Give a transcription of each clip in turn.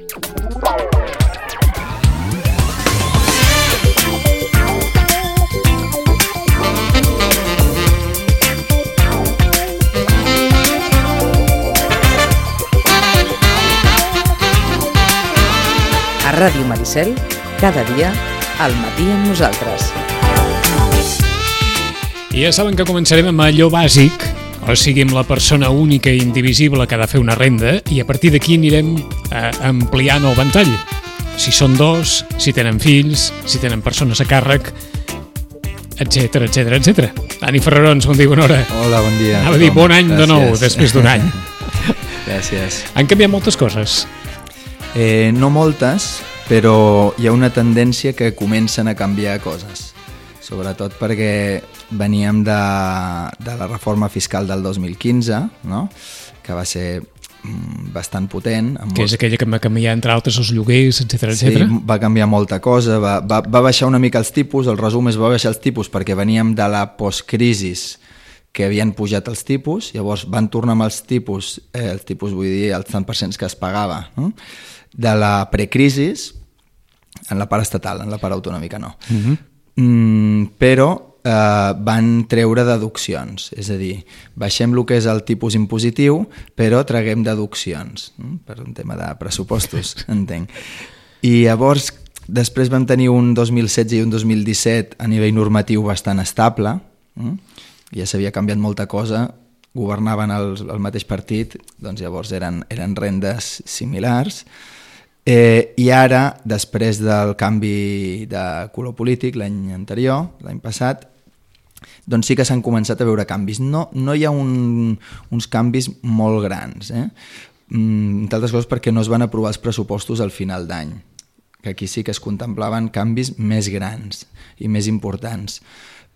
A Ràdio Maricel, cada dia, al matí amb nosaltres. I ja saben que començarem amb allò bàsic, o sigui, amb la persona única i indivisible que ha de fer una renda, i a partir d'aquí anirem ampliant el ventall. Si són dos, si tenen fills, si tenen persones a càrrec, etcètera, etcètera, etcètera. Dani Ferrarons, bon dia, bona hora. Hola, bon dia. Anava a dir bon any de nou, després d'un any. Gràcies. Han canviat moltes coses. No moltes, però hi ha una tendència que comencen a canviar coses. Sobretot perquè veníem de la reforma fiscal del 2015, no? Que va ser bastant potent. Que és aquella que va canviar, entre altres, els lloguers, etcètera, etcètera. Sí, va canviar molta cosa, va baixar una mica els tipus, el resum és va baixar els tipus perquè veníem de la postcrisis que havien pujat els tipus, llavors van tornar amb els tipus vull dir els tant % que es pagava, no? De la precrisis en la part estatal, en la part autonòmica no. Però van treure deduccions, és a dir, baixem el que és el tipus impositiu, però traguem deduccions, per un tema de pressupostos, entenc. I llavors, després vam tenir un 2016 i un 2017 a nivell normatiu bastant estable, ja s'havia canviat molta cosa, governaven el mateix partit, doncs llavors eren rendes similars, i ara, després del canvi de color polític l'any anterior, l'any passat, doncs sí que s'han començat a veure canvis. No hi ha uns canvis molt grans, entre altres coses perquè no es van aprovar els pressupostos al final d'any, que aquí sí que es contemplaven canvis més grans i més importants.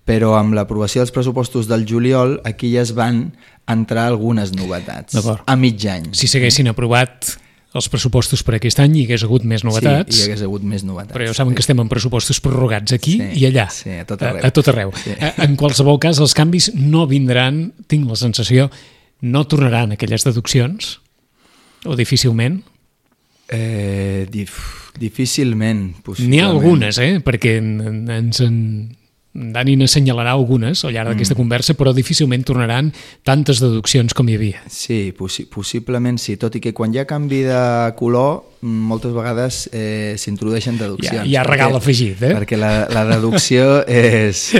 Però amb l'aprovació dels pressupostos del juliol aquí ja es van entrar algunes novetats. A mig any. Si s'haguessin aprovat els pressupostos per aquest any hi hagués hagut més novetats. Sí, hi hagués hagut més novetats. Però ja saben que estem en pressupostos prorrogats aquí i allà. Sí, a tot arreu. A tot arreu. Sí. En qualsevol cas, els canvis no vindran, tinc la sensació, no tornaran aquelles deduccions? O difícilment? Difícilment, possiblement. N'hi ha algunes, perquè Dani n'assenyalarà algunes al llarg d'aquesta conversa, però difícilment tornaran tantes deduccions com hi havia. Sí, possiblement sí, tot i que quan hi ha canvi de color moltes vegades s'introdueixen deduccions. Hi ha regal afegit, Perquè la deducció és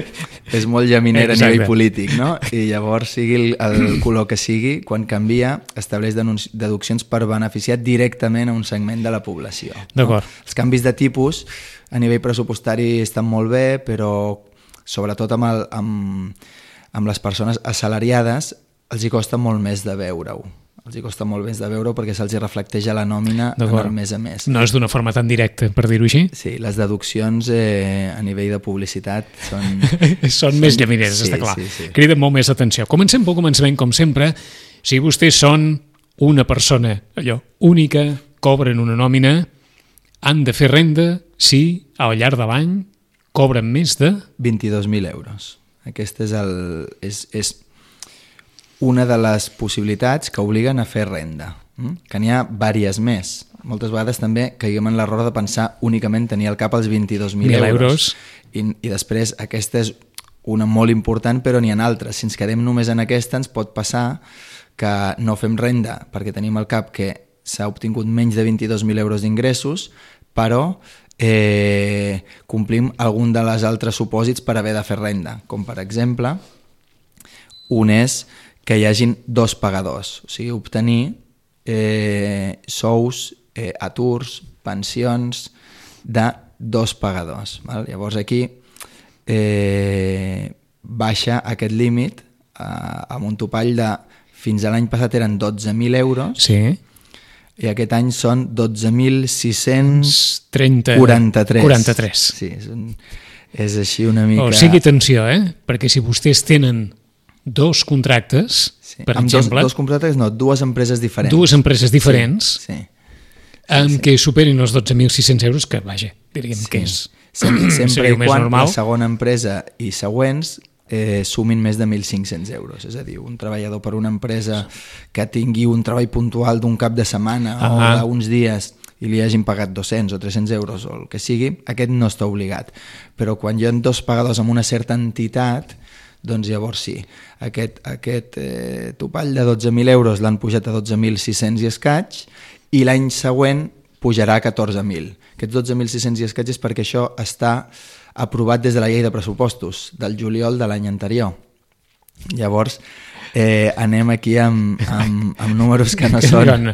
molt llaminera a nivell polític, no? I llavors, sigui el color que sigui, quan canvia, estableix deduccions per beneficiar directament a un segment de la població. D'acord. Els canvis de tipus a nivell pressupostari estan molt bé, però sobretot amb les persones assalariades els hi costa molt més de veure-ho. Els hi costa molt més de veure-ho perquè se'ls reflecteix a la nòmina en el mes a mes. No és d'una forma tan directa, per dir-ho així? Sí, les deduccions a nivell de publicitat són... són més llamineres, està clar. Sí. Criden molt més atenció. Comencem pel començament, com sempre. Si vostès són una persona única, cobren una nòmina, han de fer renda si al llarg de l'any cobren més de... 22.000 euros. Aquesta és una de les possibilitats que obliguen a fer renda, que n'hi ha diverses més. Moltes vegades també caiguem en l'error de pensar únicament tenir al cap els 22.000 euros. I després aquesta és una molt important, però n'hi ha altres. Si ens quedem només en aquesta, ens pot passar que no fem renda perquè tenim al cap que s'ha obtingut menys de 22.000 euros d'ingressos, però complim algun de les altres supòsits per haver de fer renda, com per exemple un és que hi hagin dos pagadors, o sigui, obtenir sous, aturs, pensions de dos pagadors. Llavors aquí baixa aquest límit amb un topall de fins a l'any passat eren 12.000 euros. Sí. I aquest any són 12.643. Sí, és així una mica... O sigui, atenció, perquè si vostès tenen dos contractes, per exemple... Dos contractes, no, dues empreses diferents. Dues empreses diferents, sí. Què superin els 12.600 euros, que vaja, diríem que és... Sempre i quan la segona empresa i següents sumin més de 1.500 euros. És a dir, un treballador per una empresa que tingui un treball puntual d'un cap de setmana o d'uns dies i li hagin pagat 200 o 300 euros o el que sigui, aquest no està obligat. Però quan hi ha dos pagadors amb una certa entitat, doncs llavors sí. Aquest topall de 12.000 euros l'han pujat a 12.600 i escaig i l'any següent pujarà a 14.000. Aquests 12.600 i escaig és perquè això està aprovat des de la llei de pressupostos del juliol de l'any anterior. Llavors, anem aquí amb números que no són...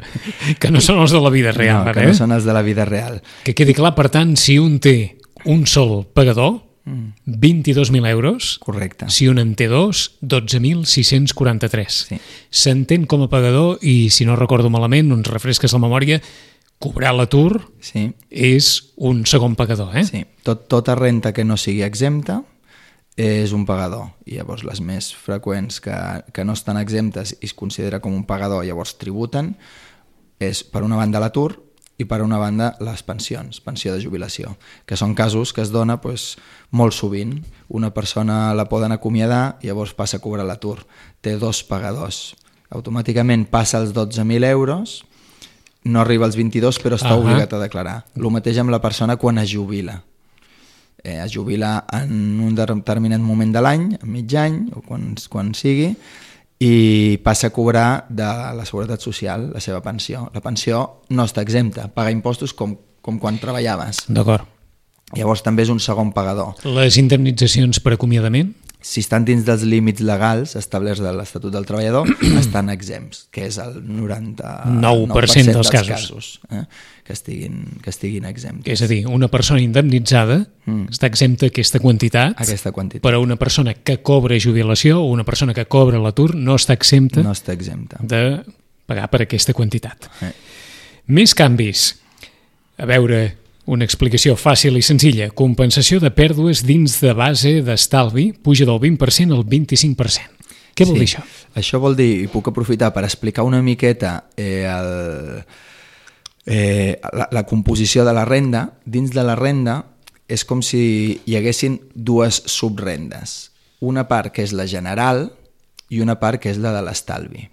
Que no són els de la vida real. No, que no són els de la vida real. Que quedi clar, per tant, si un té un sol pagador, 22.000 euros. Correcte. Si un en té dos, 12.643. Sí. S'entén com a pagador i, si no recordo malament, ens refresques la memòria, cobrar l'atur és un segon pagador. Sí. Tota renta que no sigui exempta és un pagador. I llavors les més freqüents que no estan exemptes i es considera com un pagador, llavors tributen, és per una banda l'atur i per una banda les pensions, pensió de jubilació, que són casos que es dona molt sovint. Una persona la poden acomiadar i llavors passa a cobrar l'atur. Té dos pagadors. Automàticament passa els 12.000 euros, no arriba als 22 però està obligat a declarar. El mateix amb la persona quan es jubila. Es jubila en un determinat moment de l'any, a mig any o quan sigui, i passa a cobrar de la Seguretat Social la seva pensió. La pensió no està exempta, paga impostos com quan treballaves. D'acord. Llavors també és un segon pagador. Les indemnitzacions per acomiadament? Si estan dins dels límits legals establerts de l'Estatut del Treballador, estan exempts, que és el 99% dels casos que estiguin exempts. És a dir, una persona indemnitzada està exempta aquesta quantitat, però una persona que cobra jubilació o una persona que cobra l'atur no està exempta, de pagar per aquesta quantitat. Més canvis. A veure... Una explicació fàcil i senzilla. Compensació de pèrdues dins de base d'estalvi puja del 20% al 25%. Què vol dir això? Això vol dir, i puc aprofitar per explicar una miqueta la composició de la renda. Dins de la renda és com si hi haguessin dues subrendes. Una part que és la general i una part que és la de l'estalvi.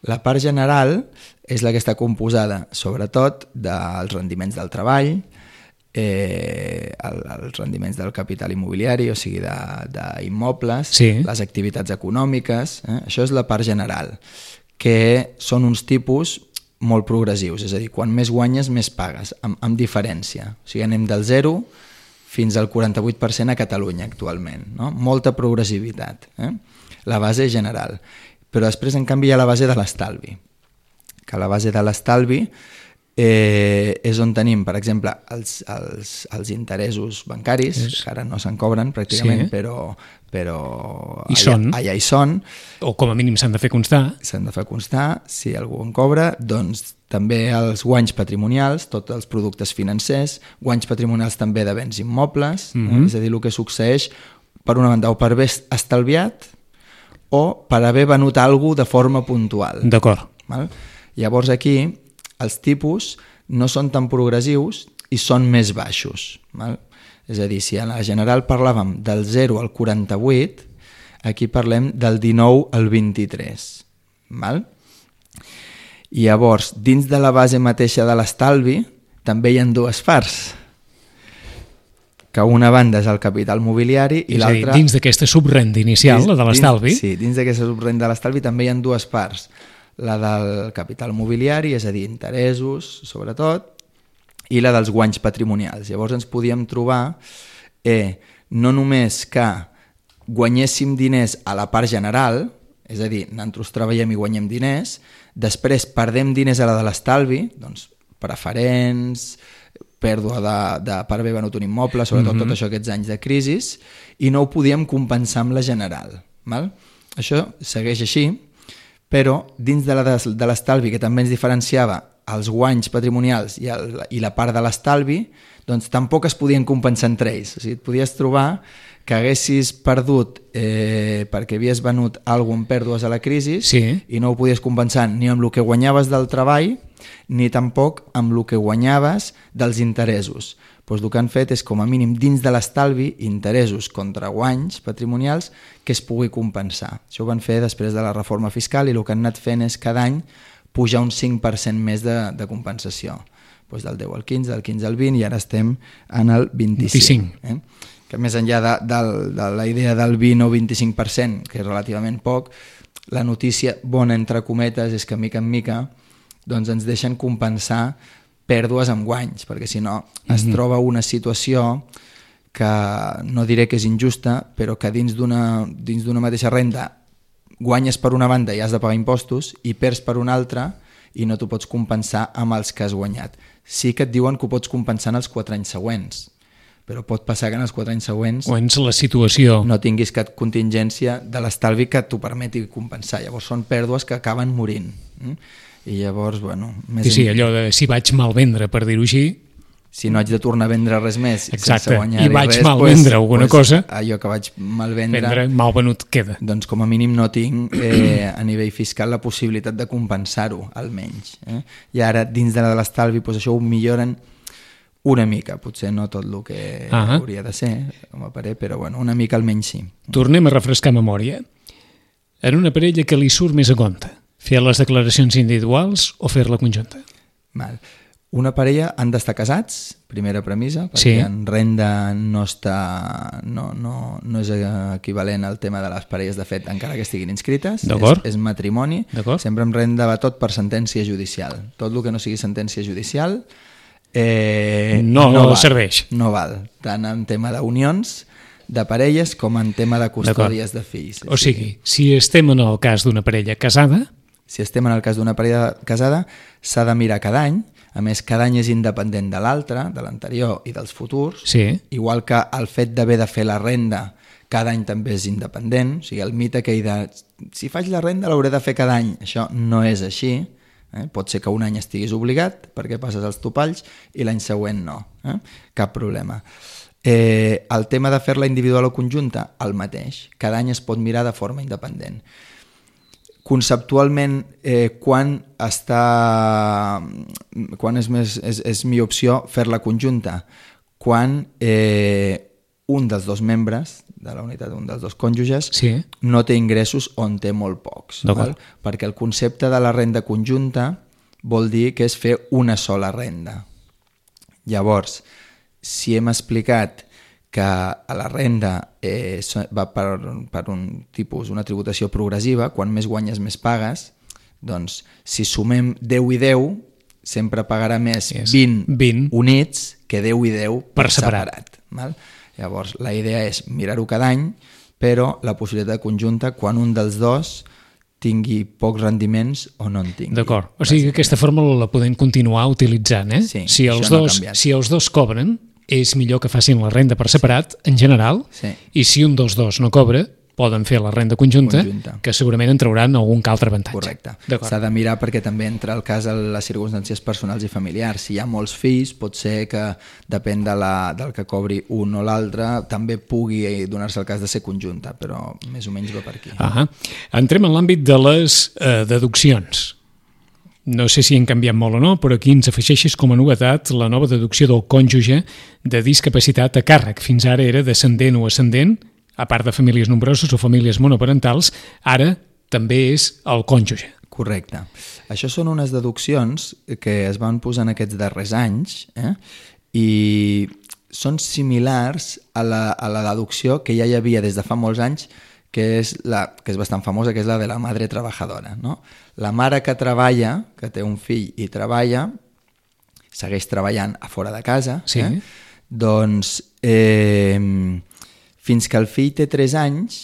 La part general és la que està composada, sobretot, dels rendiments del treball, els rendiments del capital immobiliari, o sigui, d'immobles, les activitats econòmiques. Això és la part general, que són uns tipus molt progressius, és a dir, quan més guanyes, més pagues, amb diferència. O sigui, anem del 0 fins al 48% a Catalunya actualment, no? Molta progressivitat. La base general. Però després, en canvi, hi ha la base de l'estalvi, que la base de l'estalvi és on tenim, per exemple, els interessos bancaris, que ara no se'n cobren pràcticament, però allà hi són. O com a mínim s'han de fer constar. S'han de fer constar, si algú en cobra, doncs també els guanys patrimonials, tots els productes financers, guanys patrimonials també de béns immobles, és a dir, el que succeeix, per una banda, o per haver estalviat, o per haver venut alguna cosa de forma puntual. D'acord. Llavors aquí els tipus no són tan progressius i són més baixos. És a dir, si a la general parlàvem del 0 al 48, aquí parlem del 19 al 23. I llavors, dins de la base mateixa de l'estalvi, també hi ha dues parts, que una banda és el capital mobiliari i l'altra... És a dir, dins d'aquesta subrenda inicial, la de l'estalvi... Sí, dins d'aquesta subrenda de l'estalvi també hi ha dues parts. La del capital mobiliari, és a dir, interessos, sobretot, i la dels guanys patrimonials. Llavors ens podíem trobar no només que guanyéssim diners a la part general, és a dir, nosaltres treballem i guanyem diners, després perdem diners a la de l'estalvi, doncs preferents, pèrdua per haver venut un immoble, sobretot tot això aquests anys de crisi, i no ho podíem compensar amb la general. Això segueix així, però dins de l'estalvi, que també ens diferenciava els guanys patrimonials i la part de l'estalvi, doncs tampoc es podien compensar entre ells. O sigui, et podies trobar que haguessis perdut perquè havies venut alguna amb pèrdues a la crisi i no ho podies compensar ni amb el que guanyaves del treball ni tampoc amb el que guanyaves dels interessos. Doncs el que han fet és, com a mínim, dins de l'estalvi, interessos contra guanys patrimonials que es pugui compensar. Això ho van fer després de la reforma fiscal i el que han anat fent és cada any pujar un 5% més de compensació. Pues del 10 al 15, del 15 al 20, i ara estem en el 25. Que més enllà de la idea del 20 o 25%, que és relativament poc, la notícia bona, entre cometes, és que mica en mica doncs ens deixen compensar pèrdues amb guanys, perquè si no es troba una situació que no diré que és injusta, però que dins d'una mateixa renda guanyes per una banda i has de pagar impostos i perds per una altra i no t'ho pots compensar amb els que has guanyat. Sí que et diuen que ho pots compensar en els 4 anys següents, però pot passar que en els 4 anys següents la situació no tinguis cap contingència de l'estalvi que t'ho permeti compensar. Llavors són pèrdues que acaben morint. I llavors, bueno... Sí, allò de si vaig mal vendre, per dir-ho així... Si no haig de tornar a vendre res més sense guanyar i vaig res, mal vendre alguna cosa, allò que vaig mal vendre mal venut queda. Doncs com a mínim no tinc a nivell fiscal la possibilitat de compensar-ho, almenys. I ara, dins de l'estalvi, això ho milloren una mica, potser no tot el que hauria de ser, com a parer, però bueno, una mica almenys sí. Tornem a refrescar memòria. En una parella que li surt més a compte, fer les declaracions individuals o fer-la conjunta? Val. Una parella han d'estar casats, primera premissa, perquè en renda no és equivalent al tema de les parelles de fet, encara que estiguin inscrites, és matrimoni. Sempre en renda va tot per sentència judicial. Tot el que no sigui sentència judicial no serveix. No val, tant en tema d'unions, de parelles, com en tema de custòdies de fills. O sigui, si estem en el cas d'una parella casada... Si estem en el cas d'una parella casada, s'ha de mirar cada any. A més, cada any és independent de l'altre, de l'anterior i dels futurs. Igual que el fet d'haver de fer la renda cada any també és independent. O sigui, el mite que hi de... Si faig la renda l'hauré de fer cada any. Això no és així. Pot ser que un any estiguis obligat perquè passes els topalls i l'any següent no. Cap problema. El tema de fer-la individual o conjunta, el mateix. Cada any es pot mirar de forma independent. Conceptualment, quan és millor opció fer-la conjunta? Quan un dels dos membres de la unitat, un dels dos cònjuges, no té ingressos o en té molt pocs. Perquè el concepte de la renda conjunta vol dir que és fer una sola renda. Llavors, si hem explicat que a la renda va per un tipus, una tributació progressiva, quan més guanyes més pagues, doncs si sumem 10 i 10, sempre pagarà més 20 units que 10 i 10 per separat. Llavors, la idea és mirar-ho cada any, però la possibilitat de conjunta quan un dels dos tingui pocs rendiments o no en tingui. D'acord. O sigui que aquesta fórmula la podem continuar utilitzant, Sí, si els dos cobren, és millor que facin la renda per separat, en general, i si un dels dos no cobra, poden fer la renda conjunta, que segurament en trauran algun altre avantatge. Correcte. S'ha de mirar perquè també entra el cas a les circumstàncies personals i familiars. Si hi ha molts fills, pot ser que depèn del que cobri un o l'altre, també pugui donar-se el cas de ser conjunta, però més o menys va per aquí. Entrem en l'àmbit de les deduccions. No sé si han canviat molt o no, però aquí ens afegeixes com a novetat la nova deducció del cònjuge de discapacitat a càrrec. Fins ara era descendent o ascendent, a part de famílies nombroses o famílies monoparentals, ara també és el cònjuge. Correcte. Això són unes deduccions que es van posar en aquests darrers anys i són similars a la deducció que ja hi havia des de fa molts anys, que és bastant famosa, que és la de la madre trabajadora. La mare que treballa, que té un fill i treballa, segueix treballant a fora de casa, doncs fins que el fill té 3 anys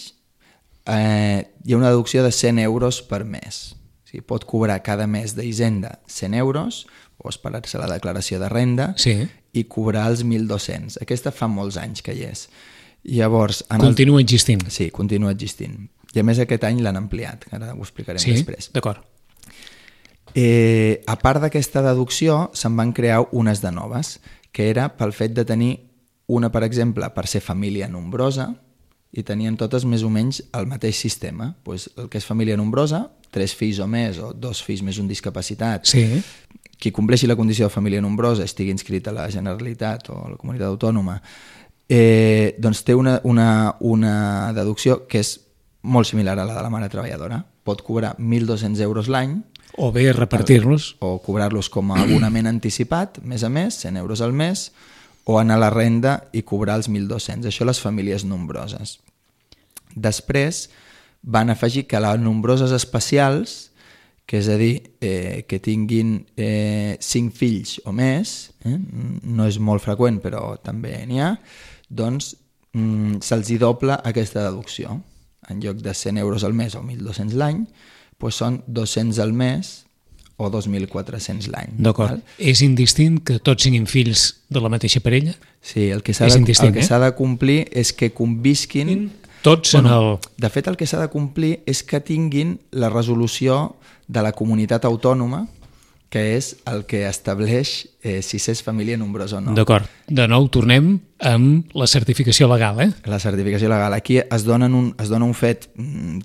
hi ha una deducció de 100 euros per mes. O sigui, pot cobrar cada mes d'Hisenda 100 euros o esperar-se la declaració de renda i cobrar els 1.200. Aquesta fa molts anys que hi és. Llavors, continua existint. Sí, continua existint. I a més aquest any l'han ampliat, ara ho explicarem després. D'acord. A part d'aquesta deducció, se'n van crear unes de noves, que era pel fet de tenir una, per exemple, per ser família nombrosa, i tenien totes més o menys el mateix sistema. El que és família nombrosa, 3 fills o més, o 2 fills més un discapacitat, qui compleixi la condició de família nombrosa, estigui inscrit a la Generalitat o a la comunitat autònoma, doncs té una deducció que és molt similar a la de la mare treballadora. Pot cobrar 1.200 euros l'any O bé repartir-los. O cobrar-los com a abonament anticipat, mes a mes, 100 euros al mes, o anar a la renda i cobrar els 1.200. Això les famílies nombroses. Després van afegir que les nombroses especials, que és a dir, que tinguin 5 fills o més, no és molt freqüent però també n'hi ha, doncs se'ls hi dobla aquesta deducció. En lloc de 100 euros al mes o 1.200 l'any, doncs són 200 al mes o 2.400 l'any. D'acord. És indistint que tots siguin fills de la mateixa parella? Sí, el que s'ha de complir és que convisquin... Tots en el... De fet, el que s'ha de complir és que tinguin la resolució de la comunitat autònoma, que és el que estableix si s'és família nombrosa o no. D'acord. De nou, tornem amb la certificació legal, La certificació legal. Aquí es dona un fet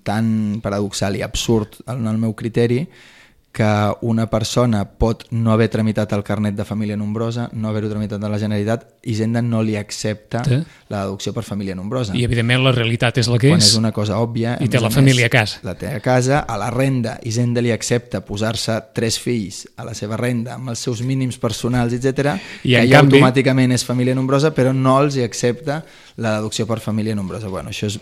tan paradoxal i absurd, en el meu criteri, que una persona pot no haver tramitat el carnet de família nombrosa, no haver-ho tramitat a la Generalitat, i Hisenda no li accepta la deducció per família nombrosa. I, evidentment, la realitat és la que és. Quan és una cosa òbvia. I té la família a casa. La té a casa, a la renda, Hisenda li accepta posar-se 3 fills a la seva renda amb els seus mínims personals, etc. I que ja automàticament és família nombrosa, però no els hi accepta la deducció per família nombrosa. Bueno, això és...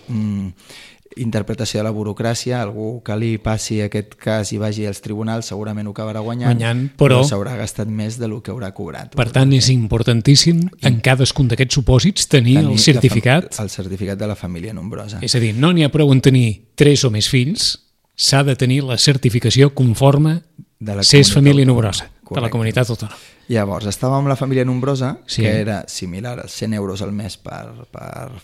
interpretació de la burocràcia, algú que li passi aquest cas i vagi als tribunals segurament ho acabarà guanyant, però s'haurà gastat més del que haurà cobrat. Per tant, és importantíssim en cadascun d'aquests supòsits tenir el certificat. El certificat de la família nombrosa. És a dir, no n'hi ha prou en tenir 3 o més fills, s'ha de tenir la certificació conforme s'és família nombrosa, de la comunitat autònoma. Llavors, estàvem amb la família nombrosa, que era similar als 100 euros al mes per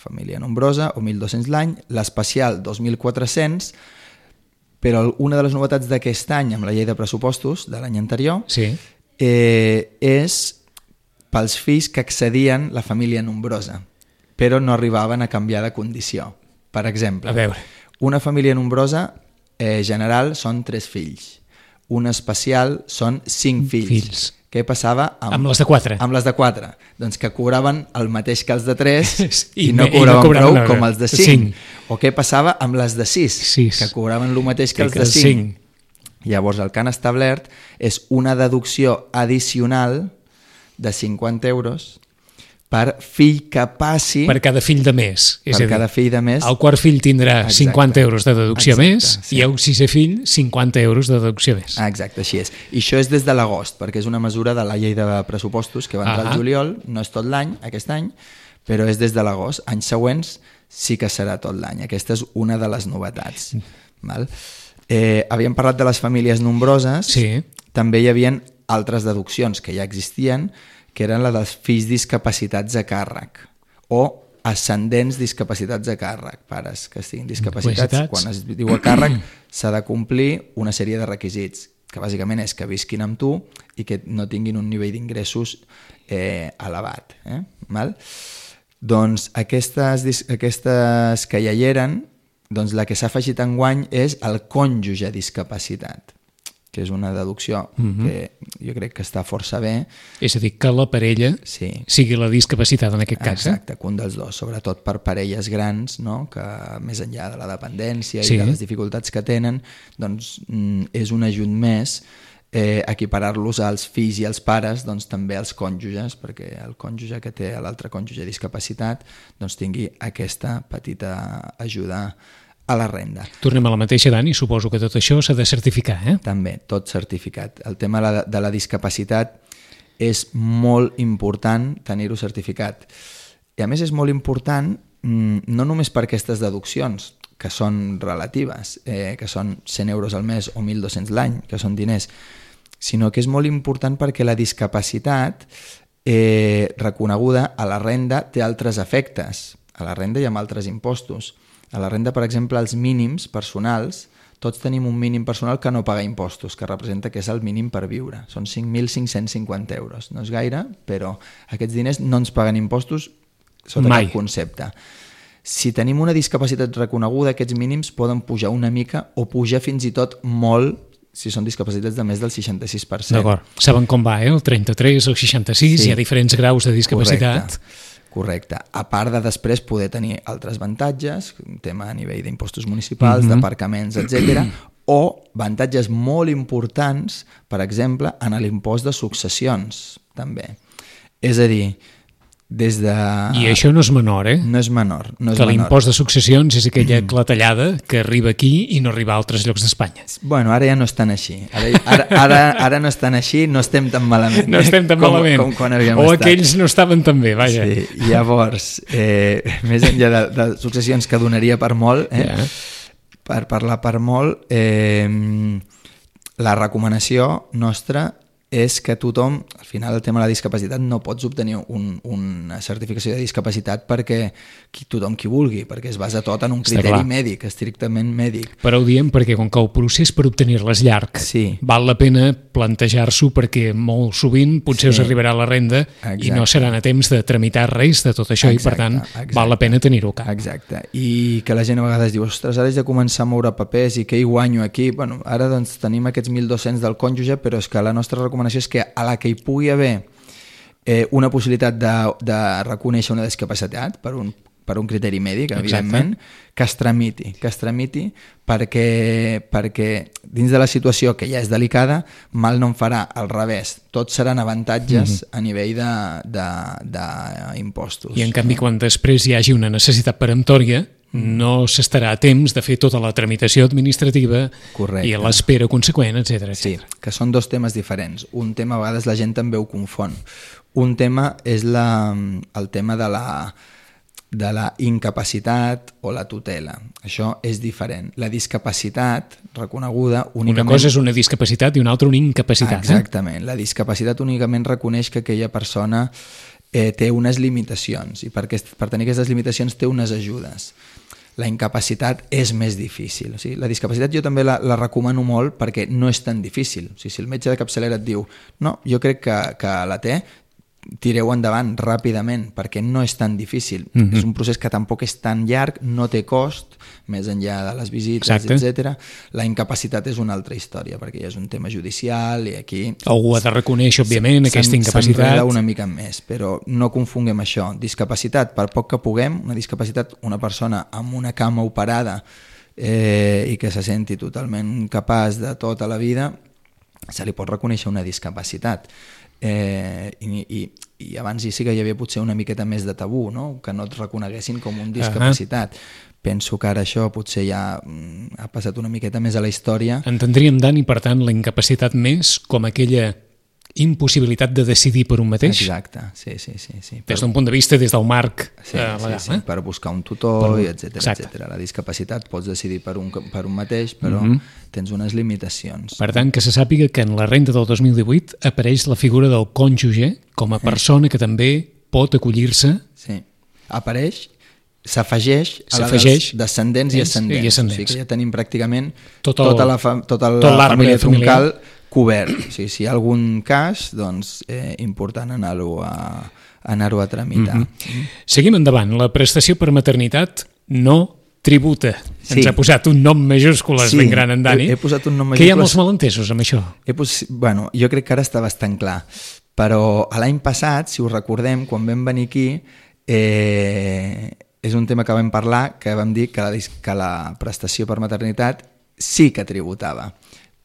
família nombrosa, o 1.200 l'any, l'especial 2.400, però una de les novetats d'aquest any, amb la llei de pressupostos de l'any anterior, és pels fills que accedien la família nombrosa, però no arribaven a canviar de condició. Per exemple, una família nombrosa general són 3 fills, una especial són 5 fills. Què passava amb les de 4? Amb les de 4. Doncs que cobraven el mateix que els de 3 i no cobraven prou com els de 5. O què passava amb les de 6, que cobraven el mateix que els de 5. Llavors el que han establert és una deducció addicional de 50 euros per fill que passi... Per cada fill de més. Per cada fill de més. El quart fill tindrà 50 euros de deducció més i el sisè fill 50 euros de deducció més. Exacte, així és. I això és des de l'agost, perquè és una mesura de la llei de pressupostos que va entrar al juliol, no és tot l'any, aquest any, però és des de l'agost. Anys següents sí que serà tot l'any. Aquesta és una de les novetats. Havíem parlat de les famílies nombroses, també hi havia altres deduccions que ja existien, que eren la dels fills discapacitats a càrrec o ascendents discapacitats a càrrec, pares que estiguin discapacitats. Quan es diu a càrrec s'ha de complir una sèrie de requisits, que bàsicament és que visquin amb tu i que no tinguin un nivell d'ingressos elevat. Doncs aquestes que ja hi eren, doncs la que s'ha afegit enguany és el cònjuge discapacitat, que és una deducció que jo crec que està força bé. És a dir, que la parella sigui la discapacitat en aquest cas. Exacte, que un dels dos, sobretot per parelles grans, que més enllà de la dependència i de les dificultats que tenen, doncs és un ajut més equiparar-los als fills i als pares, doncs també als cònjuges, perquè el cònjuge que té l'altre cònjuge discapacitat doncs tingui aquesta petita ajuda a la renda. Tornem a la mateixa, Dani, suposo que tot això s'ha de certificar, També, tot certificat. El tema de la discapacitat és molt important tenir-ho certificat. I a més és molt important no només per aquestes deduccions, que són relatives, que són 100 euros al mes o 1.200 l'any, que són diners, sinó que és molt important perquè la discapacitat reconeguda a la renda té altres efectes. A la renda hi ha altres impostos. A la renda, per exemple, els mínims personals, tots tenim un mínim personal que no paga impostos, que representa que és el mínim per viure. Són 5.550 euros. No és gaire, però aquests diners no ens paguen impostos sota cap concepte. Si tenim una discapacitat reconeguda, aquests mínims poden pujar una mica o pujar fins i tot molt si són discapacitats de més del 66%. D'acord. Saben com va, el 33 o 66, hi ha diferents graus de discapacitat. Correcte. A part de després poder tenir altres avantatges, un tema a nivell d'impostos municipals, d'aparcaments, etc., o avantatges molt importants, per exemple, en l'impost de successions, també. És a dir, des de... I això no és menor, eh? No és menor. Que l'impost de successions és aquella clatellada que arriba aquí i no arriba a altres llocs d'Espanya. Bueno, ara ja no estan així. Ara no estan així, no estem tan malament. No estem tan malament. Com quan havíem estat. O estat. aquells no estaven tan bé, vaja. Sí, llavors, més enllà de successions que donaria per molt, per parlar per molt, la recomanació nostra és que tothom, al final el tema de la discapacitat, no pots obtenir una certificació de discapacitat perquè tothom qui vulgui, perquè es basa tot en un criteri mèdic, estrictament mèdic. Però ho diem perquè com que el procés per obtenir-la és llarg, val la pena plantejar-s'ho perquè molt sovint potser us arribarà la renda i no seran a temps de tramitar res de tot això i per tant val la pena tenir-ho cap. Exacte, i que la gent a vegades diu ostres, ara haig de començar a moure papers i què hi guanyo aquí? Bueno, ara doncs tenim aquests 1.200 del cònjuge, però és que la nostra recomanació és que a la que hi pugui haver una possibilitat de reconèixer una discapacitat per un criteri mèdic, evidentment, que es tramiti perquè dins de la situació que ja és delicada, mal no en farà, al revés, tots seran avantatges a nivell d'impostos. I en canvi, quan després hi hagi una necessitat peremptòria, no s'estarà a temps de fer tota la tramitació administrativa i l'espera conseqüent, etc. Sí, que són dos temes diferents. Un tema, a vegades la gent també ho confon. Un tema és el tema de la incapacitat o la tutela. Això és diferent. La discapacitat reconeguda únicament... Una cosa és una discapacitat i una altra una incapacitat. Exactament. La discapacitat únicament reconeix que aquella persona té unes limitacions i per tenir aquestes limitacions té unes ajudes. La incapacitat és més difícil. O sigui, la discapacitat jo també la recomano molt perquè no és tan difícil. O sigui, si el metge de capçalera et diu no, jo crec que la té, tireu endavant ràpidament perquè no és tan difícil. És un procés que tampoc és tan llarg, no té cost, més enllà de les visites, etc. La incapacitat és una altra història perquè ja és un tema judicial i aquí... Algú ha de reconèixer, òbviament, aquesta incapacitat. S'enreda una mica més, però no confonguem això. Discapacitat, per poc que puguem, una discapacitat, una persona amb una cama operada i que se senti totalment capaç de tota la vida, se li pot reconèixer una discapacitat. I abans sí que hi havia potser una miqueta més de tabú, no? Que no et reconeguessin com un discapacitat. Penso que ara això potser ja ha passat una miqueta més a la història. Entendríem, Dani, per tant, la incapacitat més com aquella impossibilitat de decidir per un mateix? Exacte, sí. Des d'un punt de vista, des del marc legal. Sí, per buscar un tutor, etc. La discapacitat pots decidir per un mateix, però tens unes limitacions. Per tant, que se sàpiga que en la renda del 2018 apareix la figura del cònjuge com a persona que també pot acollir-se. Sí, apareix, s'afegeix a la dels descendents i ascendents. O sigui que ja tenim pràcticament tota la família troncal cobert. O sigui, si hi ha algun cas, doncs important anar-ho a tramitar. Seguim endavant. La prestació per maternitat no tributa. Ens ha posat un nom majúscules ben gran en Dani. He posat un nom majúscules. Que hi ha molts malentesos amb això. Bueno, jo crec que ara està bastant clar. Però l'any passat, si us recordem, quan vam venir aquí, és un tema que vam parlar, que vam dir que la prestació per maternitat sí que tributava,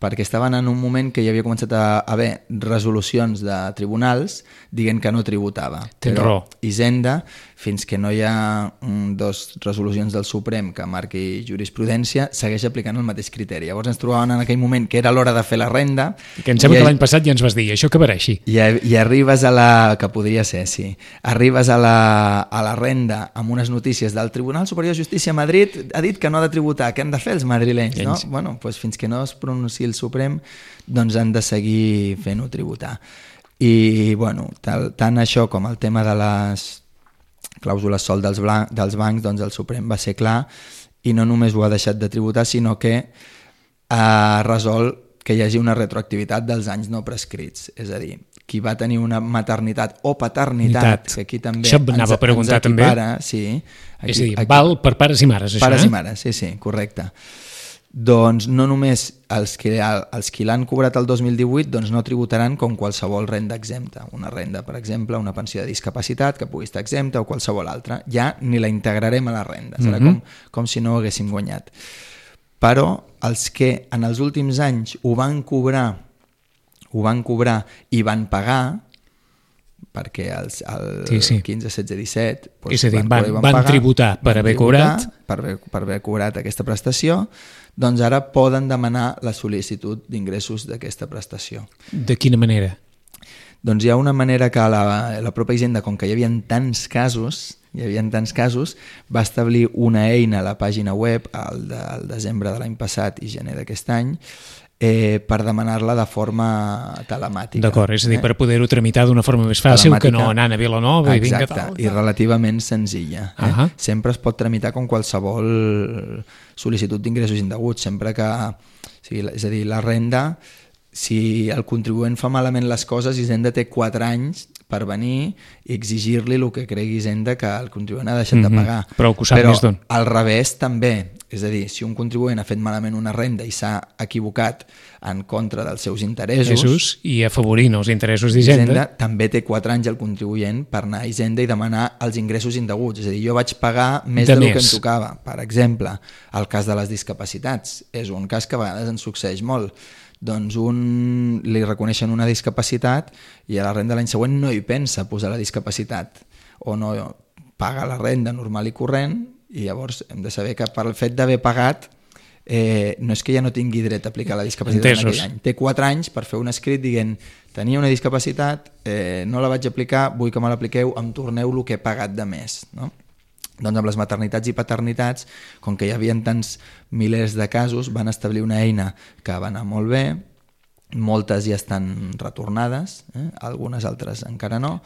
perquè estaven en un moment que hi havia començat a haver resolucions de tribunals dient que no tributava. Tens raó. Hisenda, fins que no hi ha dos resolucions del Suprem que marqui jurisprudència, segueix aplicant el mateix criteri. Llavors ens trobàvem en aquell moment que era l'hora de fer la renda. Que em sembla que l'any passat ja ens vas dir, això acabarà així. I arribes a la... que podria ser, sí. Arribes a la renda amb unes notícies del Tribunal Superior de Justícia a Madrid, ha dit que no ha de tributar. Què han de fer els madrilenys? No? Bueno, doncs fins que no es pronunciï el Suprem, doncs han de seguir fent-ho tributar. I, bueno, tant això com el tema de les clàusules sol dels bancs, doncs el Suprem va ser clar i no només ho ha deixat de tributar, sinó que ha resolt que hi hagi una retroactivitat dels anys no prescrits. És a dir, qui va tenir una maternitat o paternitat, que aquí també això anava a preguntar també. Sí, aquí, és a dir, val per pares i mares, això, pares i mares, sí, correcte. Doncs no només els qui l'han cobrat el 2018 doncs no tributaran com qualsevol renda exempta. Una renda, per exemple, una pensió de discapacitat que pugui estar exempta o qualsevol altra. Ja ni la integrarem a la renda. Serà com si no ho haguéssim guanyat. però els que en els últims anys ho van cobrar i van pagar, perquè el 15, 16, 17 doncs és a dir, van tributar per haver cobrat aquesta prestació, doncs ara poden demanar la sol·licitud d'ingressos d'aquesta prestació. De quina manera? Doncs hi ha una manera que la pròpia Hisenda, com que hi havia tants casos, va establir una eina a la pàgina web al desembre de l'any passat i gener d'aquest any per demanar-la de forma telemàtica. D'acord, és a dir, per poder-ho tramitar d'una forma més fàcil que no anant a Vilanova i vinga tal. I relativament senzilla. Sempre es pot tramitar com qualsevol sol·licitud d'ingressos indeguts, sempre que... És a dir, la renda, si el contribuent fa malament les coses, Hisenda té 4 anys per venir i exigir-li el que cregui Hisenda que el contribuent ha deixat de pagar. Però al revés també, és a dir, si un contribuent ha fet malament una renda i s'ha equivocat en contra dels seus interessos i afavorint els interessos d'Hisenda, també té 4 anys el contribuent per anar a Hisenda i demanar els ingressos indeguts. És a dir, jo vaig pagar més del que em tocava. Per exemple, el cas de les discapacitats és un cas que a vegades ens succeeix molt. Doncs li reconeixen una discapacitat i a la renda l'any següent no hi pensa posar la discapacitat o no paga la renda normal i corrent, i llavors hem de saber que per el fet d'haver pagat no és que ja no tingui dret a aplicar la discapacitat en aquell any. Té 4 anys per fer un escrit dient tenia una discapacitat, no la vaig aplicar, vull que me l'apliqueu, em torneu el que he pagat de més, no? Doncs amb les maternitats i paternitats, com que hi havia tants milers de casos, van establir una eina que va anar molt bé, moltes ja estan retornades, algunes altres encara no,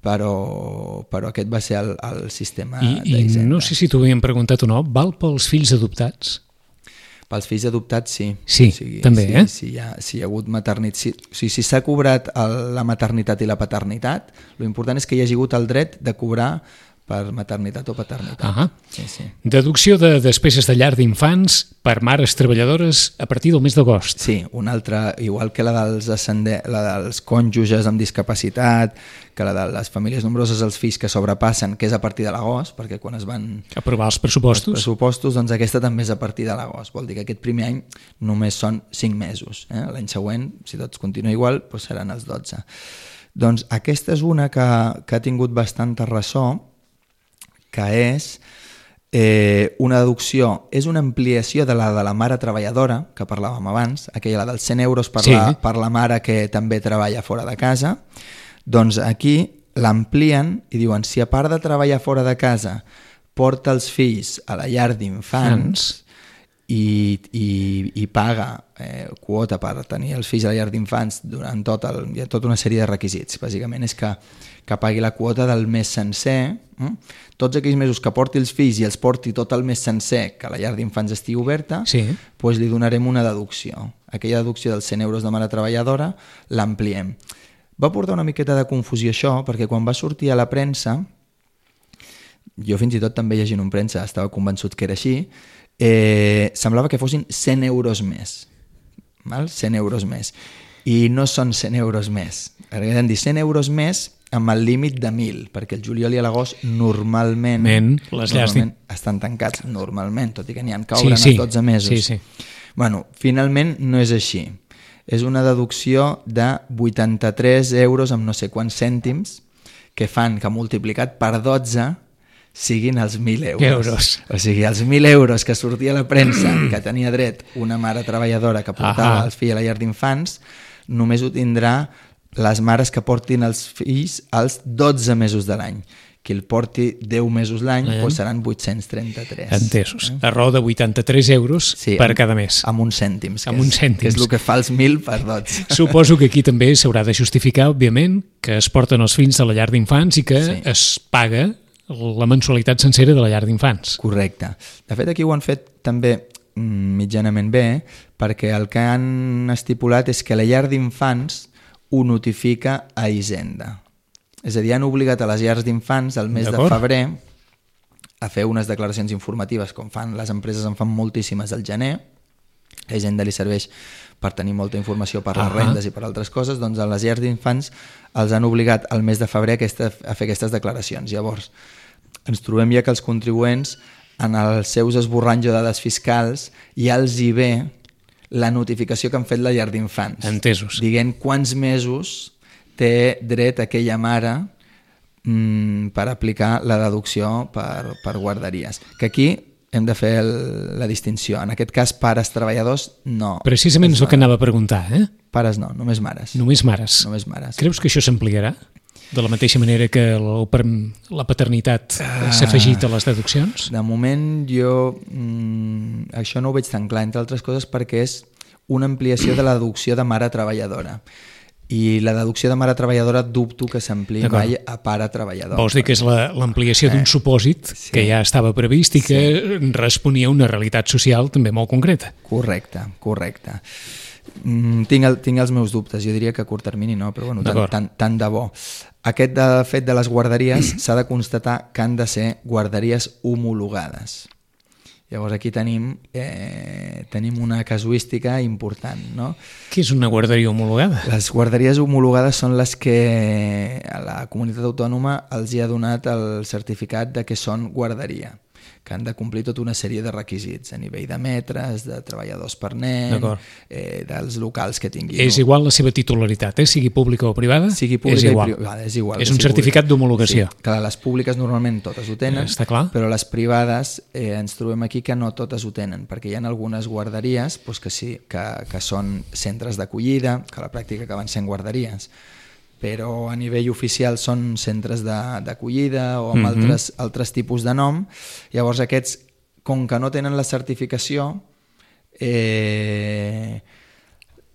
però aquest va ser el sistema d'Hisenda. I no sé si t'ho havíem preguntat o no, val pels fills adoptats? Pels fills adoptats sí. Sí, també, Si hi ha hagut maternitat, si s'ha cobrat la maternitat i la paternitat, l'important és que hi hagi hagut el dret de cobrar per maternitat o paternitat. Deducció de despeses de llar d'infants per mares treballadores a partir del mes d'agost. Sí, una altra, igual que la dels cònjuges amb discapacitat, que la de les famílies nombroses, els fills que sobrepassen, que és a partir de l'agost, perquè quan es van aprovar els pressupostos, doncs aquesta també és a partir de l'agost. Vol dir que aquest primer any només són 5 mesos. L'any següent, si tot continua igual, doncs seran els 12. Doncs aquesta és una que ha tingut bastanta ressò, que és una deducció, és una ampliació de la mare treballadora, que parlàvem abans, aquella dels 100 euros per la mare que també treballa fora de casa. Doncs aquí l'amplien i diuen, si a part de treballar fora de casa porta els fills a la llar d'infants i paga quota per tenir els fills a la llar d'infants durant hi ha tota una sèrie de requisits. Bàsicament és que pagui la quota del mes sencer, tots aquells mesos que porti els fills i els porti tot el mes sencer que la llar d'infants estigui oberta, doncs li donarem una deducció. Aquella deducció dels 100 euros de mare treballadora l'ampliem. Va portar una miqueta de confusió això, perquè quan va sortir a la premsa, jo fins i tot també llegint en premsa estava convençut que era així, semblava que fossin 100 euros més. 100 euros més. I no són 100 euros més. Hem dit 100 euros més amb el límit de 1.000, perquè el juliol i l'agost normalment estan tancats normalment, tot i que n'hi ha que obren els 12 mesos. Bueno, finalment no és així. És una deducció de 83 euros amb no sé quants cèntims que fan que multiplicat per 12 siguin els 1.000 euros. O sigui, els 1.000 euros que sortia a la premsa que tenia dret una mare treballadora que portava els fills a la llar d'infants, només ho tindrà les mares que portin els fills als 12 mesos de l'any. Qui el porti 10 mesos l'any seran 833. Entesos. A raó de 83 euros per cada mes. Amb uns cèntims. Que és el que fa els 1.000 per 12. Suposo que aquí també s'haurà de justificar, òbviament, que es porten els fills a la llar d'infants i que es paga la mensualitat sencera de la llar d'infants. Correcte. De fet, aquí ho han fet també mitjanament bé, perquè el que han estipulat és que la llar d'infants ho notifica a Hisenda. És a dir, han obligat a les llars d'infants al mes de febrer a fer unes declaracions informatives, com fan les empreses, en fan moltíssimes al gener, a Hisenda li serveix per tenir molta informació per les rendes i per altres coses, doncs a les llars d'infants els han obligat al mes de febrer a fer aquestes declaracions. Llavors, ens trobem ja que els contribuents en els seus esborranys o dades fiscals ja els hi ve la notificació que han fet la llar d'infants. Entesos. Dient quants mesos té dret aquella mare per aplicar la deducció per guarderies. Que aquí hem de fer la distinció. En aquest cas, pares treballadors, no. Precisament és el que anava a preguntar, Pares no, només mares. Només mares. Només mares. Creus que això s'ampliarà? De la mateixa manera que la paternitat s'ha afegit a les deduccions? De moment jo això no ho veig tan clar, entre altres coses perquè és una ampliació de la deducció de mare treballadora. I la deducció de mare treballadora dubto que s'ampliï mai a pare treballador. Vols dir que és l'ampliació d'un supòsit que ja estava previst i que responia a una realitat social també molt concreta. Correcte. Tinc els meus dubtes, jo diria que a curt termini no, però bueno, tant de bo. Aquest fet de les guarderies s'ha de constatar que han de ser guarderies homologades. Llavors aquí tenim una casuística important, no? Què és una guarderia homologada? Les guarderies homologades són les que a la comunitat autònoma els hi ha donat el certificat de que són guarderia, que han de complir tota una sèrie de requisits a nivell de metres, de treballadors per nen, dels locals que tinguin. És igual la seva titularitat, sigui pública o privada? Sigui pública o privada, és igual. És un certificat d'homologació. Sí, clar, les públiques normalment totes ho tenen, però les privades ens trobem aquí que no totes ho tenen, perquè hi ha algunes guarderies que són centres d'acollida, que a la pràctica acaben sent guarderies, però a nivell oficial són centres d'acollida o amb altres tipus de nom. Llavors aquests, com que no tenen la certificació,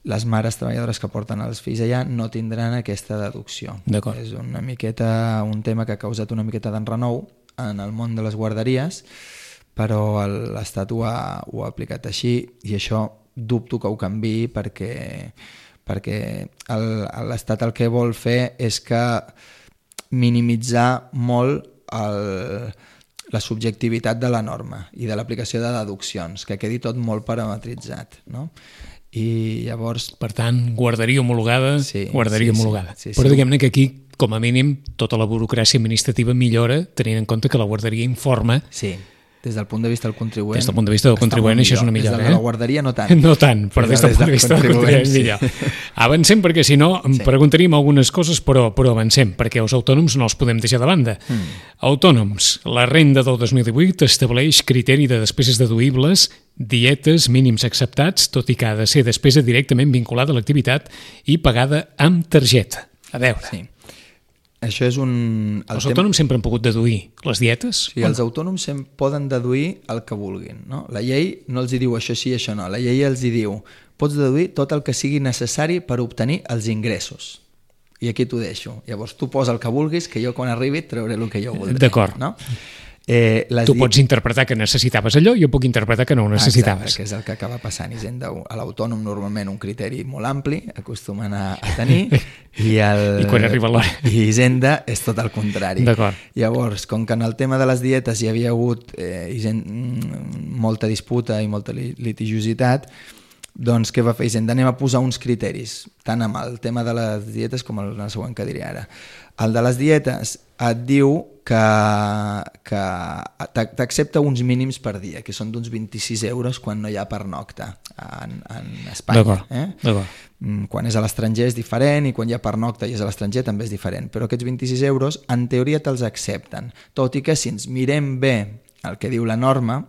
les mares treballadores que porten els fills allà no tindran aquesta deducció. És una miqueta un tema que ha causat una miqueta d'enrenou en el món de les guarderies, però l'Estat ho ha aplicat així i això dubto que ho canviï perquè l'Estat el que vol fer és que minimitzar molt la subjectivitat de la norma i de l'aplicació de deduccions, que quedi tot molt parametritzat, no? I llavors... Per tant, guarderia homologada, homologada. Sí. Però diguem-ne que aquí, com a mínim, tota la burocràcia administrativa millora, tenint en compte que la guarderia informa... Sí. Des del punt de vista del contribuent... Des del punt de vista del contribuent això és una millora. Des de la guarderia no tant. No tant, però des del punt de vista del contribuent millor. Avancem perquè si no em preguntaríem algunes coses, però avancem, perquè els autònoms no els podem deixar de banda. Autònoms, la renda del 2018 estableix criteri de despeses deduïbles, dietes mínims acceptats, tot i que ha de ser despesa directament vinculada a l'activitat i pagada amb targeta. A veure... Sí. Això és els autònoms sempre han pogut deduir les dietes? Sí, els autònoms poden deduir el que vulguin, no? La llei no els diu això sí, això no. La llei els diu pots deduir tot el que sigui necessari per obtenir els ingressos. I aquí t'ho deixo. Llavors tu posa el que vulguis, que jo quan arribi et trauré el que jo voldré. D'acord. No? Tu pots interpretar que necessitaves allò, jo puc interpretar que no ho necessitaves. Exacte, que és el que acaba passant. Hisenda, a l'autònom normalment un criteri molt ampli, acostumen a tenir, i quan arriba l'hora. I Hisenda és tot el contrari. D'acord. Llavors, com que en el tema de les dietes hi havia hagut molta disputa i molta litigiositat, doncs què va fer Hisenda? Anem a posar uns criteris, tant amb el tema de les dietes com el següent que diré ara. El de les dietes et diu que t'accepta uns mínims per dia, que són d'uns 26 euros quan no hi ha pernocta en Espanya. D'acord. Quan és a l'estranger és diferent i quan hi ha pernocta i és a l'estranger també és diferent, però aquests 26 euros en teoria te'ls accepten, tot i que si ens mirem bé el que diu la norma,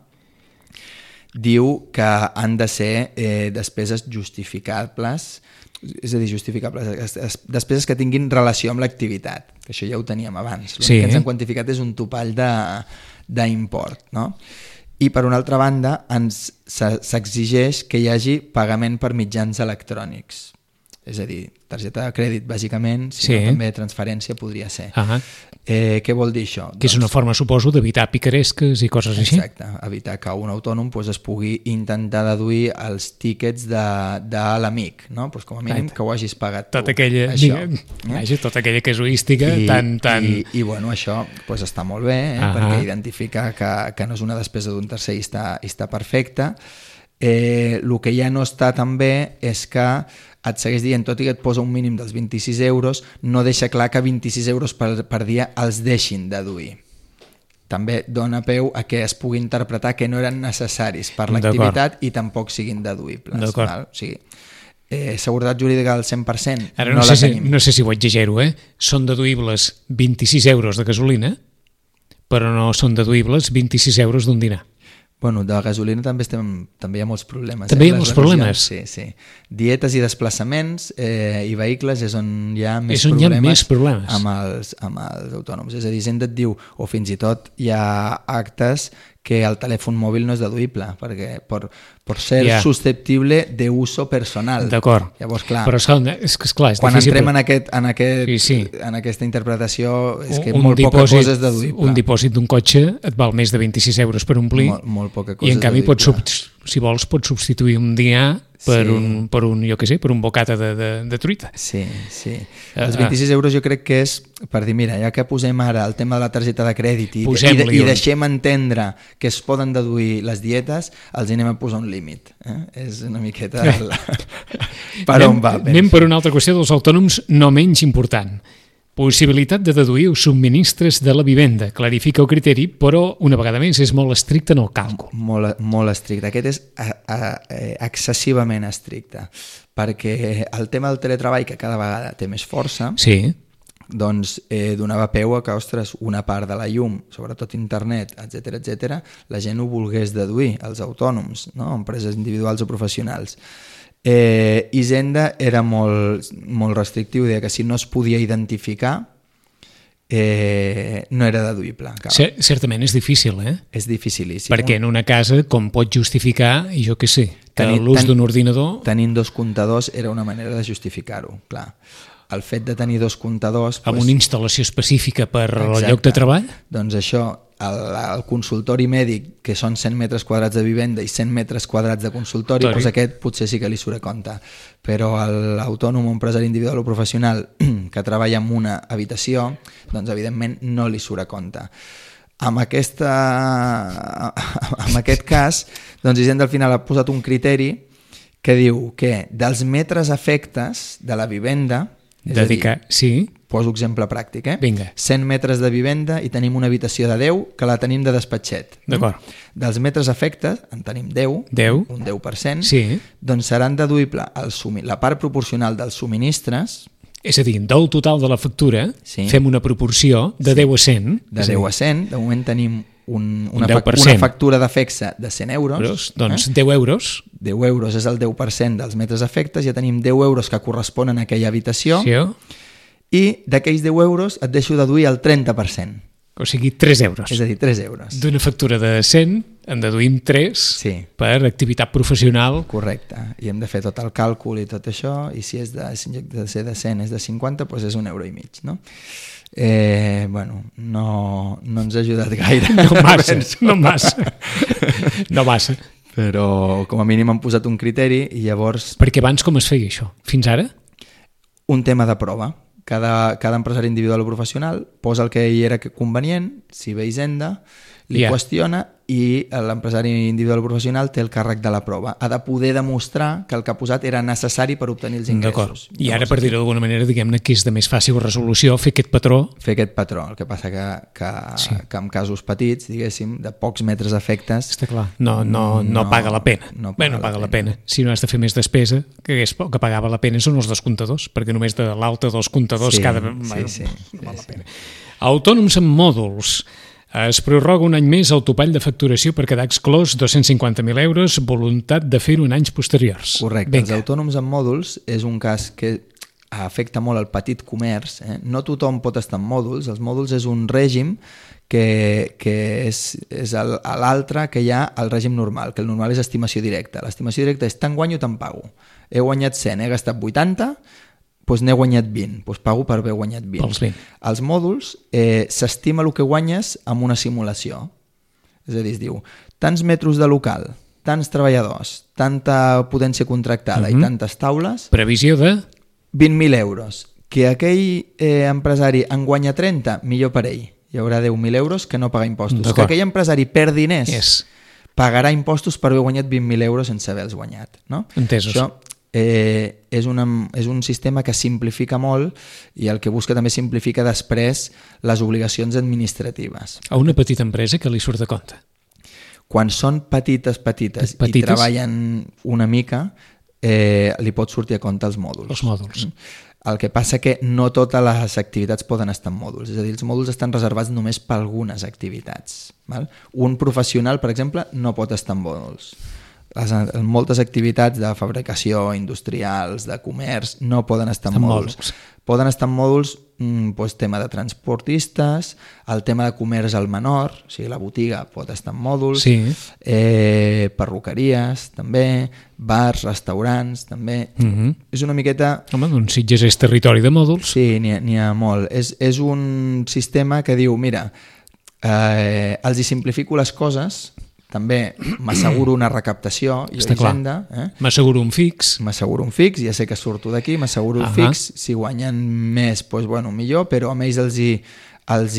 diu que han de ser despeses justificables, és a dir, despeses que tinguin relació amb l'activitat, que això ja ho teníem abans. L'únic que ens han quantificat és un topall d'import, no? I per una altra banda s'exigeix que hi hagi pagament per mitjans electrònics, és a dir, targeta de crèdit bàsicament, sinó també transferència podria ser. Què vol dir això? Que és una forma, suposo, d'evitar picaresques i coses així. Exacte, evitar que un autònom es pugui intentar deduir els tíquets de l'amic, no? Com a mínim que ho hagis pagat tu. Tota aquella casuística I bueno, això està molt bé, perquè identifica que no és una despesa d'un tercer i està perfecte. El que ja no està tan bé és que et segueix dient, tot i que et posa un mínim dels 26 euros, no deixa clar que 26 euros per dia els deixin deduir. també dona peu a que es pugui interpretar que no eren necessaris per l'activitat i tampoc siguin deduïbles. Val? O sigui, seguretat jurídica al 100% ara no la tenim. No sé si ho exagero, són deduïbles 26 euros de gasolina, però no són deduïbles 26 euros d'un dinar. Bueno, de gasolina també hi ha molts problemes. També hi ha molts problemes? Sí. Dietes i desplaçaments i vehicles és on hi ha més problemes amb els autònoms. És a dir, Hisenda et diu, o fins i tot hi ha actes que el telèfon mòbil no és deduïble, perquè per ser susceptible d'uso personal. D'acord. Llavors, clar, però és clar, és quan difícil, entrem en aquesta interpretació és que molt poca cosa és deduïble. Un dipòsit d'un cotxe et val més de 26 euros per omplir, molt poca cosa i en canvi si vols pots substituir un dinar per un bocata de truita. Sí. Els 26 euros jo crec que és per dir, mira, ja que posem ara el tema de la targeta de crèdit i deixem entendre que es poden deduir les dietes, els anem a posar un límit. És una miqueta per on va. Anem per una altra qüestió dels autònoms no menys important. Possibilitat de deduir els subministres de la vivenda. Clarifica el criteri, però una vegada més és molt estricte en el càlcul. Molt estricte. Aquest és excessivament estricte, perquè el tema del teletreball, que cada vegada té més força, doncs donava peu a que, ostres, una part de la llum, sobretot internet, etc, la gent ho volgués deduir, els autònoms, no? Empreses individuals o professionals. Hisenda era molt restrictiu, deia que si no es podia identificar no era deduïble. Certament és difícil, És dificilíssim. Perquè en una casa, com pot justificar, jo què sé, que l'ús d'un ordinador... Tenint dos comptadors era una manera de justificar-ho, clar. El fet de tenir dos comptadors... Amb una instal·lació específica per al lloc de treball? Doncs això, el consultori mèdic, que són 100 metres quadrats de vivenda i 100 metres quadrats de consultori, doncs aquest potser sí que li surt a compte. Però l'autònom, empresari individual o professional que treballa en una habitació, doncs evidentment no li surt a compte. En aquest cas, doncs Hisenda al final ha posat un criteri que diu que dels metres efectes de la vivenda, poso exemple pràctic, Vinga. 100 metres de vivenda i tenim una habitació de 10 que la tenim de despatxet. D'acord. Dels metres efectes en tenim 10, un 10%, doncs seran deduïble la part proporcional dels subministres. És a dir, del total de la factura fem una proporció de 10 a 100. De 10 a 100, de moment tenim una factura d'efecte de 100 euros. Doncs 10 euros. 10 euros és el 10% dels metres efectes, ja tenim 10 euros que corresponen a aquella habitació i d'aquells 10 euros et deixo deduir el 30%. O sigui, 3 euros. És a dir, 3 euros. D'una factura de 100 en deduïm 3 per activitat professional. Correcte. I hem de fer tot el càlcul i tot això, i si en lloc de ser de 100 és de 50, doncs és €1,5 €, no? Bueno, no ens ha ajudat gaire. No massa. Però com a mínim han posat un criteri i llavors... Perquè abans com es feia això? Fins ara? Un tema de prova. Cada empresari individual o professional posa el que ell era convenient, si ve Hisenda, li qüestiona i l'empresari individual o professional té el càrrec de la prova. Ha de poder demostrar que el que ha posat era necessari per obtenir els ingressos. I ara, per dir-ho d'alguna manera, diguem-ne que és de més fàcil resolució fer aquest patró. Fer aquest patró. El que passa que en casos petits, diguéssim, de pocs metres efectes... Està clar. No paga la pena. No paga la pena. Si no has de fer més despesa, que pagava la pena són els descomptadors, perquè només de l'alta dels comptadors cada... Sí. Val la pena. Autònoms amb mòduls. Es prorroga un any més el topall de facturació per quedar exclòs 250.000 euros, voluntat de fer-ho en anys posteriors. Correcte. Els autònoms amb mòduls és un cas que afecta molt el petit comerç. No tothom pot estar en mòduls. Els mòduls és un règim que és l'altre que hi ha al règim normal, que el normal és estimació directa. L'estimació directa és tant guanyo, tant pago. He guanyat 100, he gastat 80, doncs n'he guanyat 20, doncs pago per haver guanyat 20. Els mòduls s'estima el que guanyes amb una simulació. És a dir, es diu, tants metres de local, tants treballadors, tanta potència contractada i tantes taules... Previsió de? 20.000 euros. Que aquell empresari en guanya 30, millor per ell. Hi haurà 10.000 euros que no paga impostos. Que aquell empresari perd diners, pagarà impostos per haver guanyat 20.000 euros sense haver-los guanyat. Entesos. Això és un sistema que simplifica molt i el que busca també simplifica després les obligacions administratives. A una petita empresa que li surt de compte? Quan són petites i treballen una mica, li pot sortir a compte els mòduls. Els mòduls. El que passa que no totes les activitats poden estar en mòduls, és a dir, els mòduls estan reservats només per algunes activitats. Val? Un professional, per exemple, no pot estar en mòduls. Moltes activitats de fabricació, industrials, de comerç, no poden estar en mòduls. Poden estar en mòduls tema de transportistes, el tema de comerç al menor, o sigui, la botiga pot estar en mòduls, perruqueries també, bars, restaurants també. És una miqueta... Home, doncs Sitges és territori de mòduls. Sí, n'hi ha molt. És un sistema que diu, mira, els hi simplifico les coses, també m'asseguro una recaptació i hisenda. M'asseguro un fix. Ja sé que surto d'aquí, m'asseguro un fix. Si guanyen més, doncs, millor, però a ells els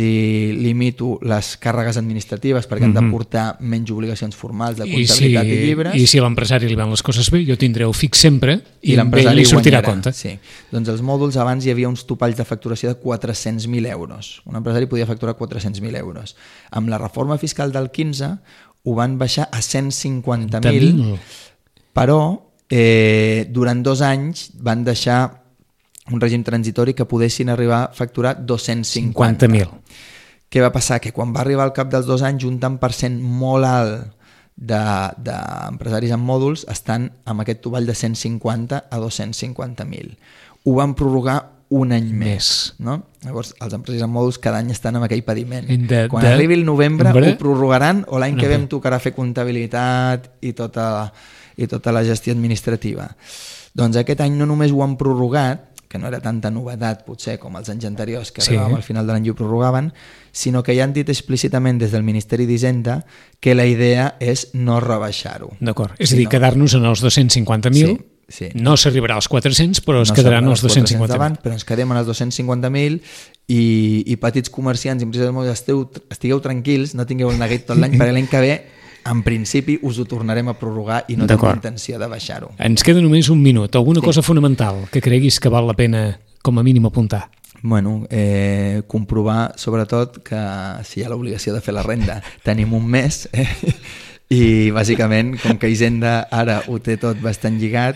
hi limito les càrregues administratives perquè han de portar menys obligacions formals de comptabilitat i llibres. I si a l'empresari li van les coses bé, jo tindré el fix sempre i l'empresari li sortirà a compte. Sí. Doncs els mòduls abans hi havia uns topalls de facturació de 400.000 euros. Un empresari podia facturar 400.000 euros. Amb la reforma fiscal del 15 ho van baixar a 150.000, però durant 2 anys van deixar un règim transitori que poguessin arribar a facturar 250.000. Què va passar? Que quan va arribar al cap dels 2 anys, un tant per cent molt alt d'empresaris en mòduls estan amb aquest topall de 150 a 250.000. Ho van prorrogar un any més. No? Llavors, els empresaris en mòduls cada any estan amb aquell pediment. Quan arribi el novembre ho prorrogaran o l'any que ve em tocarà fer comptabilitat i tota la gestió administrativa. Doncs aquest any no només ho han prorrogat, que no era tanta novetat potser com els anys anteriors que arribàvem al final de l'any i ho prorrogaven, sinó que ja han dit explícitament des del Ministeri d'Hisenda que la idea és no rebaixar-ho. D'acord, és a dir, quedar-nos en els 250.000. Sí. No s'arribarà als 400, però es quedaran els 250.000. Però ens quedem en els 250.000 i petits comerciants i empreses de mòduls, estigueu tranquils, no tingueu el neguit tot l'any, perquè l'any que ve, en principi, us ho tornarem a prorrogar i no tenim intenció de baixar-ho. Ens queda només un minut. Alguna cosa fonamental que creguis que val la pena, com a mínim, apuntar? Comprovar, sobretot, que si hi ha l'obligació de fer la renda, tenim un mes... I bàsicament, com que Hisenda ara ho té tot bastant lligat,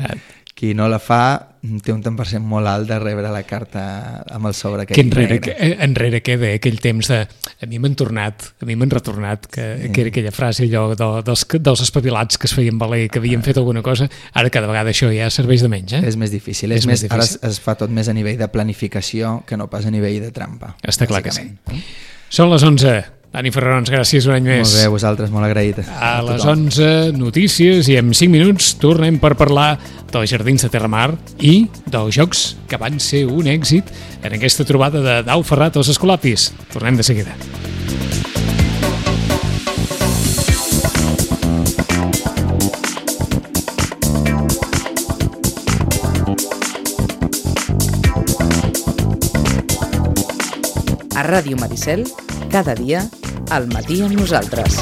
qui no la fa té un tant per cent molt alt de rebre la carta amb el sobre que enrere queda aquell temps de a mi m'han retornat que era aquella frase allò dels espavilats que es feien valer que havien fet alguna cosa, ara cada vegada això ja serveix de menys. És més difícil, ara es fa tot més a nivell de planificació que no pas a nivell de trampa. Està clar que sí. Són les 11. Dani Ferrarons, gràcies un any més. Molt bé, vosaltres, molt agraït. A les 11, notícies, i en 5 minuts tornem per parlar dels Jardins de Terramar i dels jocs que van ser un èxit en aquesta trobada de Dau Ferrat als Escolapis. Tornem de seguida. A Ràdio Maricel, cada dia, al matí amb nosaltres.